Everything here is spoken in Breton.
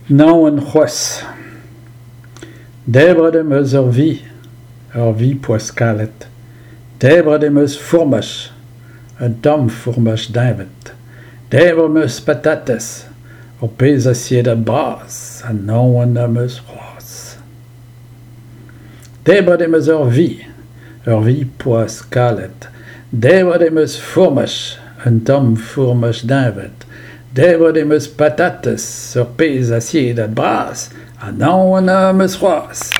Naon c'hoazh. Debret em eus ur vi, ur vi poazh-kalet. Debret em eus fourmaj, un tamm fourmaj deñved. Debret em eus patatez, ur pezh asiedad bras, ha naon am eus c'hoazh. Debret em eus ur vi, ur vi poazh-kalet. Debret em eus fourmaj, un tamm fourmaj deñved. Debret em eus patatez, ur pezh asiedad bras, ha naon am eus c'hoazh.